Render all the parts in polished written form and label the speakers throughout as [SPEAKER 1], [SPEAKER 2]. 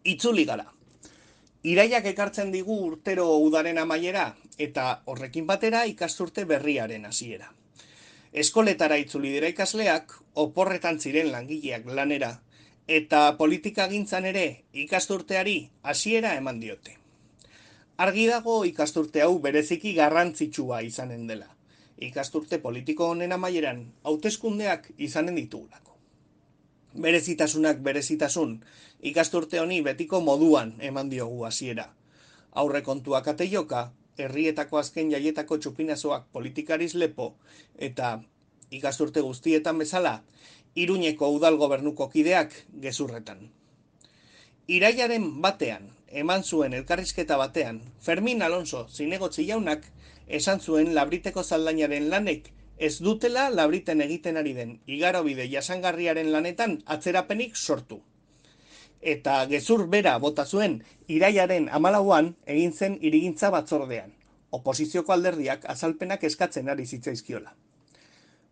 [SPEAKER 1] Itzuli gara. Iraiak ekartzen digu urtero udaren amaiera eta horrekin batera ikasturte berriaren hasiera. Eskoletara itzuli dira ikasleak, oporretan ziren langileak lanera, eta politikagintzan ere ikasturteari hasiera eman diote. Argi dago ikasturte hau bereziki garrantzitsua izanen dela. Ikasturte politiko honen amaieran hauteskundeak izanen ditugulako. Berezitasunak berezitasun, ikasturte honi betiko moduan eman diogu hasiera. Aurrekontuak ateioka, herrietako azken jaietako txupinazoak politikariz lepo, eta ikasturte guztietan bezala, Iruñeko udal gobernuko kideak gezurretan. Iraiaren batean, eman zuen elkarrizketa batean, Fermin Alonso zinegotzi jaunak esan zuen Labriteko zaldainaren lanek ez dutela Labriten egiten ari den igarobide jasangarriaren lanetan atzerapenik sortu. Eta gezur bera bota zuen iraiaren 14an egin zen hirigintza batzordean. Oposizioko alderdiak azalpenak eskatzen ari zitzaizkiola.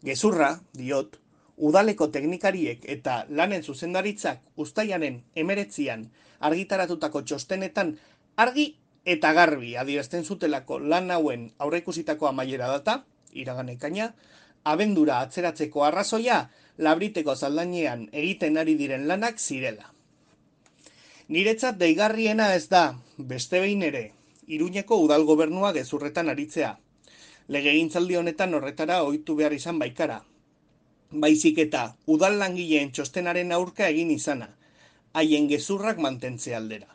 [SPEAKER 1] Gezurra, diot, udaleko teknikariek eta lanen zuzendaritzak uztailaren 19an argitaratutako txostenetan argi eta garbi adierazten zutelako lan hauen aurreikusitako amaiera data, iragan ekaina, abendura atzeratzeko arrazoia Labriteko zaldainean egiten ari diren lanak zirela. Niretzat deigarriena ez da, beste behin ere, Iruñeko udal gobernua gezurretan aritzea. Legegintzaldi honetan horretara ohitu behar izan baikara. Baizik eta udal langileen txostenaren aurka egin izana, haien gezurrak mantentze aldera.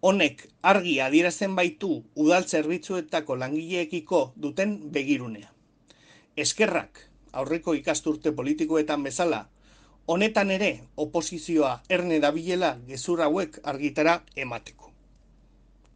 [SPEAKER 1] Honek argi adierazten baitu udal zerbitzuetako langileekiko duten begirunea. Eskerrak, aurreko ikasturte politikoetan bezala, honetan ere oposizioa erne dabilela gezur hauek argitara emateko.